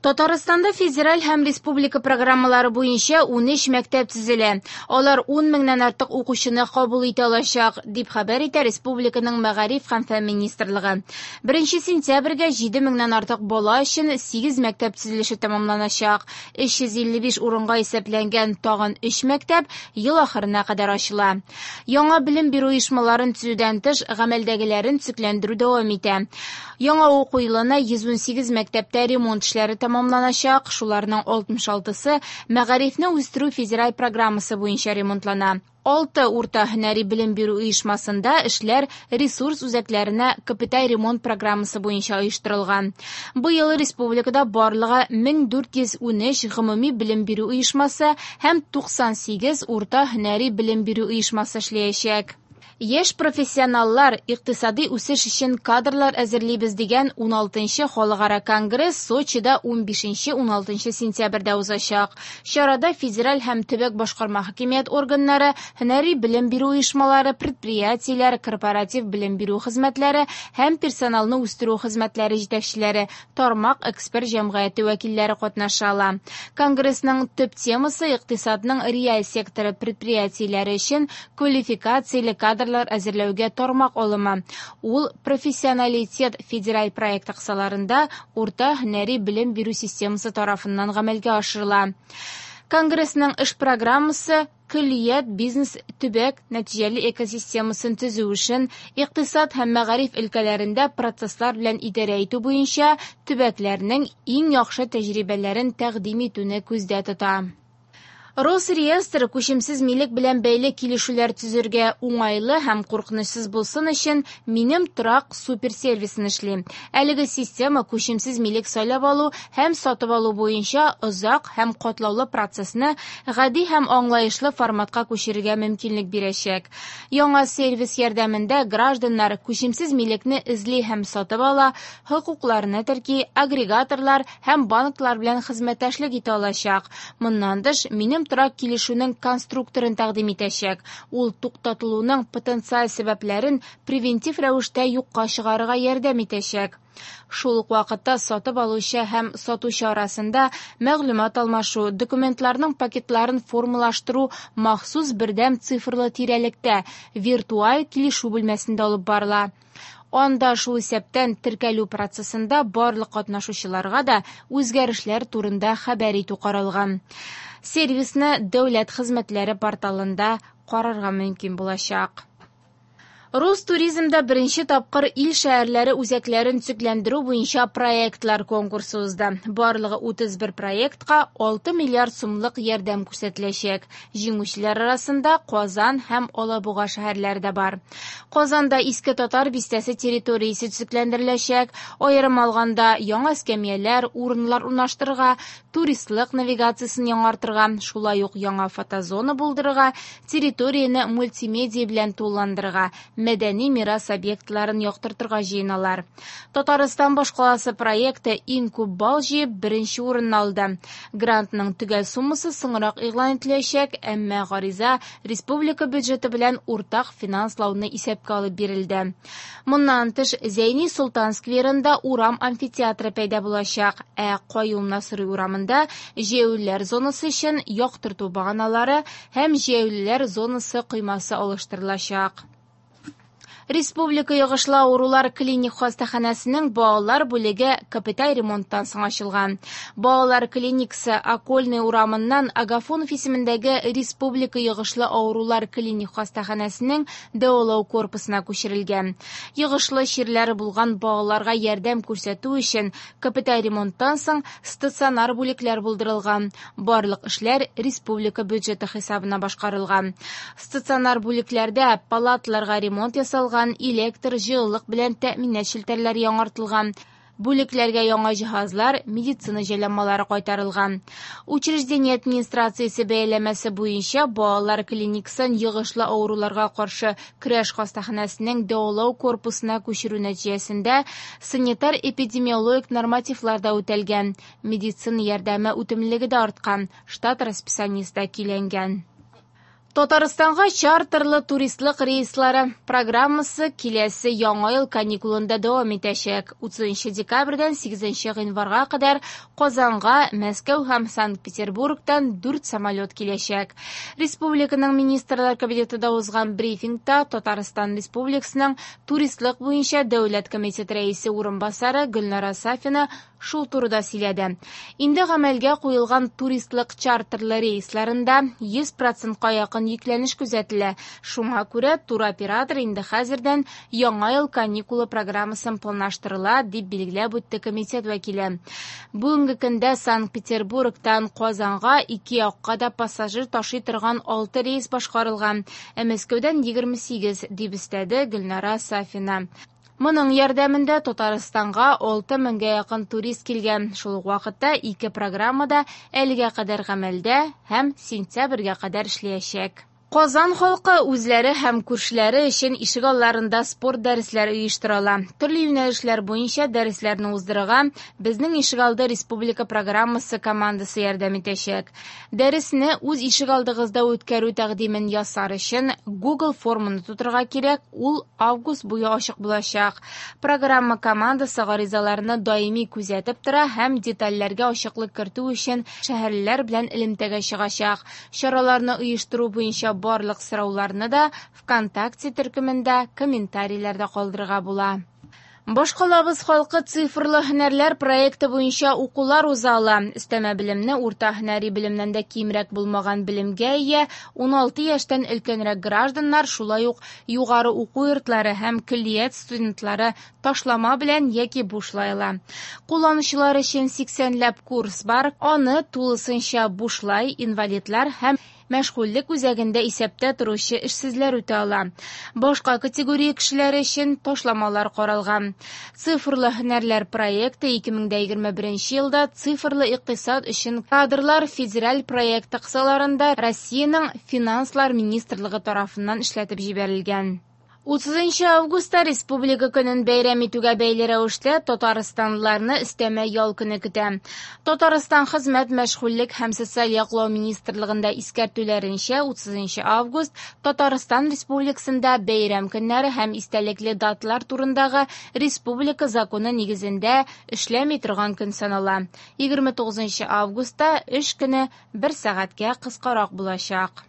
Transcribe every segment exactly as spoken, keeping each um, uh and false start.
Татарстанда федераль һәм республика программалары буенча унөч мәктәп төзелә. Алар ун меңнән артык укучыны кабул итә алачак, дип хәбәр итә республиканың Мәгариф һәм фән министрлыгы. Беренче сентябрьгә җиде меңнән артык бала өчен сигез мәктәп төзелеше тәмамланачак. Өч йөз илле биш урынга исәпләнгән тагын өч мәктәп ел ахырына кадәр ачыла. Яңа белем бирү оешмаларын төзүдән тыш, гамәлдәгеләрен төзекләндерү дәвам итә. Яңа уку елына йөз ун сигез мәктәптә ремонт эшләре тәмамланачак, шуларның алтмыш алтысы Мәгарифне үстерү федераль программасы буенча ремонтлана. Алты урта һөнәри белем бирү оешмасында эшләр ресурс үзәкләренә капиталь ремонт программасы буенча оештырылган. Быел республикада барлыгы мең дүрт йөз ун өч гомуми белем бирү оешмасы һәм туксан сигез урта һөнәри белем бирү оешмасы эшләячәк. Яшь профессионаллар икътисади үсеш өчен кадрлар әзерлибез дигән ун алтынчы халыкара конгресс Сочида ун бишенче ун алтынчы сентябрьдә узачак. Чарада федераль һәм төбәк башкарма хакимият органнары, һөнәри белем бирү оешмалары, предприятиеләр, корпоратив белем бирү хезмәтләре һәм персоналны үстерү хезмәтләре җитәкчеләре, тармак эксперт җәмгыяте вәкилләре катнаша ала. Конгрессның төп темасы икътисадның реаль секторы предприятиеләре өчен квалификацияле кадрлар әзерләүгә тармак алымы. Ул профессионалитет федераль проекты кысаларында урта һөнәри белем бирү системасы тарафыннан гамәлгә ашырыла. Конгрессның эш программасы көллият бизнес төбәк нәтиҗәле экосистемасын төзү өчен икътисад һәм мәгариф өлкәләрендә процесслар белән идарә итү буенча төбәкләрнең иң яхшы тәҗрибәләрен тәкъдим итүне күздә тота. Росреестр күчемсез милек белән бәйле килешүләр төзергә уңайлы һәм куркынычсыз булсын өчен Минем торак суперсервисын эшли. Әлеге система күчемсез милек сайлап алу һәм сатып алу буенча озак һәм катлаулы процессны гади һәм аңлаешлы форматка күчерергә мөмкинлек бирәчәк. Яңа сервис ярдәмендә гражданнар күчемсез милекне эзли һәм сатып ала, хокукларны терки, агрегаторлар һәм банклар белән хезмәттәшлек итә алачак. Моннан тыш, Минем торак килешүнең конструкторын тәкъдим итәчәк. Ул туктатылуның потенциаль сәбәпләрен превентив рәвештә юкка чыгарырга ярдәм итәчәк. Шул ук вакытта сатып алучы һәм сатучы арасында мәгълүмат алмашу, документларның пакетларын формалаштыру махсус бердәм цифрлы тирәлектә виртуаль килешү бүлмәсендә алып барыла. Анда шул исәптән теркәлү процессында барлык катнашучыларга да үзгәрешләр турында хәбәр итү каралган. Сервисны дәүләт хезмәтләре порталында карарга мөмкин булачак. Ростуризмда беренче тапкыр ил шәһәрләре үзәкләрен төзекләндерү буенча проектлар конкурсы узды. Барлыгы утыз бер проектка алты миллиард сумлык ярдәм күрсәтеләчәк. Җиңүчеләр арасында Казан һәм Алабуга шәһәрләре дә бар. Казанда Иске Татар бистәсе территориясе төзекләндереләчәк. Аерым алганда яңа эскәмияләр, урыннар урнаштырырга, туристлык навигациясен яңартырга, шулай ук яңа фотозона булдырырга, территорияне мультимедиа белән тулыландырырга, мәдәни мирас объектларын яктыртырга җыеналар. Татарстан башкаласы проекты иң күп балл җыеп беренче урынны алды. Грантның төгәл суммасы соңрак игълан ителәчәк, әмма гариза республика бюджеты белән уртак финанслауны исәпкә алып бирелде. Моннан тыш, Зәйни Солтан скверында урам амфитеатры пәйда булачак, ә Каюм Насыйри урамында җәяүлеләр зонасы өчен яктырту баганалары һәм җәяүлеләр зонасы коймасы алыштырылачак. Республика йогышлы авырулар клиник хастаханәсенең балалар бүлеге капиталь ремонттан соң ачылган. Балалар клиникасы Окольный урамыннан Агафонов исемендәге Республика йогышлы авырулар клиник хастаханәсенең дәвалау корпусына күчерелгән. Йогышлы чирләре булган балаларга ярдәм күрсәтү өчен капиталь ремонттан соң стационар бүлекләр булдырылган. Барлык эшләр республика бюджеты хисабына башкарылган. Стационар бүлекләрдә палаталарга ремонт ясалган, электр, җылылык белән тәэминат челтәрләре яңартылган. Бүлекләргә яңа җиһазлар, медицина җайланмалары кайтарылган. Учреждение администрациясе бәяләмәсе буенча балалар клиникасын йогышлы авыруларга каршы көрәш хастаханәсенең дәвалау корпусына күчерү нәтиҗәсендә санитар-эпидемиологик нормативлар да үтәлгән. Медицина ярдәме үтемлелеге дә арткан, штат расписаниесе дә көйләнгән. Татарстанга чартерлы туристлык рейслары программасы киләсе яңа ел каникулында дәвам итәчәк. утызынчы декабрьдән сигезенче гыйнварга кадәр Казанга Мәскәү һәм Санкт-Петербургтан дүрт самолет киләчәк. Республиканың Министрлар Кабинетында узган брифингта Татарстан Республикасының туристлык буенча дәүләт комитеты рәисе урынбасары Гөлнара Сафина шул турыда сөйләде. Инде гамәлгә куелган туристлык чартерлы рейсларында йөз процентка якын йөкләнеш күзәтелә. Шуңа күрә туроператор инде хәзердән яңа ел каникулы программасын планлаштырыла, дип билгеләп үтте комитет вәкиле. Бүгенге көндә Санкт-Петербургтан Казанга ике якка да пассажир ташый торган алты рейс башкарылган, ә Мәскәүдән егерме сигез, дип өстәде Гөлнара Сафина. Моның ярдәмендә Татарстанга алты меңгә якын турист килгән. Шул ук вакытта ике программада әлегә кадәр гамәлдә һәм сентябрьгә кадәр эшләячәк. Казан халкы үзләре һәм күршеләре өчен ишегалларында спорт дәресләре оештыра ала. Төрле юнәлешләр буенча дәресләрне уздырырга Безнең ишегалды республика программасы командасы ярдәм итәчәк. Дәресне үз ишегалдыгызда үткәрү тәкъдимен ясар өчен Google форманы тутырырга кирәк, ул август буе ачык булачак. Программа командасы гаризаларны даими күзәтеп тора һәм детальләргә ачыклык кертү өчен шәһәрлеләр белән элемтәгә чыгачак. Чараларны оештыру буенча барлык сорауларны да ВКонтакте төркемендә комментарийләрдә калдырырга була. Башкалабыз халкы цифрлы һөнәрләр проекты буенча укулар уза ала. Өстәмә белемне урта һөнәри белемнән дә кимрәк булмаган белемгә ия ун алты яшьтән өлкәнрәк гражданнар, шулай ук югары уку йортлары һәм көллият студентлары ташлама белән яки бушлай ала. Кулланучылар өчен сиксәнләп курс бар. Аны тулысынча бушлай инвалидлар һәм мәшгульлек үзәгендә исәптә торучы эшсезләр үтә ала. Башка категория кешеләре өчен ташламалар каралган. Цифрлы һөнәрләр проекты ике мең дә егерме беренче елда цифрлы икътисад өчен кадрлар федераль проекты кысаларында Россиянең Финанслар министрлыгы тарафыннан эшләтеп җибәрелгән. Утызынчы августта Республика көнен бәйрәм итүгә бәйле рәвештә татарстанлыларны өстәмә ял көне көтә. Татарстан Хезмәт, мәшгульлек һәм социаль яклау министрлыгында искәртүләренчә, утызынчы август Татарстан Республикасында бәйрәм көннәре һәм истәлекле даталар турындагы республика законы нигезендә эшләми торган көн санала. Егерме тугызынчы августта эш көне бер сәгатькә кыскарак булачак.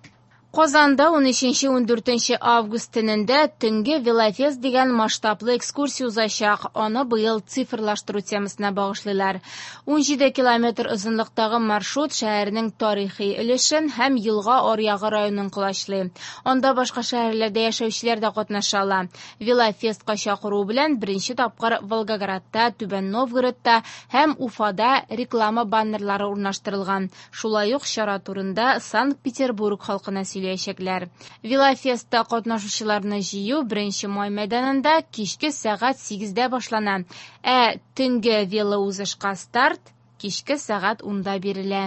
Казанда ун өченче ун дүртенче август төнендә төнге велофест дигән масштаблы экскурсия узачак. Аны быел цифрлаштыру темасына багышлыйлар. Ун җиде километр озынлыктагы маршрут шәһәрнең тарихи өлешен һәм Елга аръягы районын колачлый. Анда башка шәһәрләрдә яшәүчеләр дә катнаша ала. Велофестка чакыру белән беренче тапкыр Волгоградта, Түбән Новгородта һәм Уфада реклама баннерлары урнаштырылган. Шулай ук чара турында Санкт-Петербург халкына сөйләгән. Велофестта катнашучыларны җыю беренче май мәйданында кичке сәгать сигездә башлана. Ә төнге велоузышка старт кичке сәгать унда бирелә.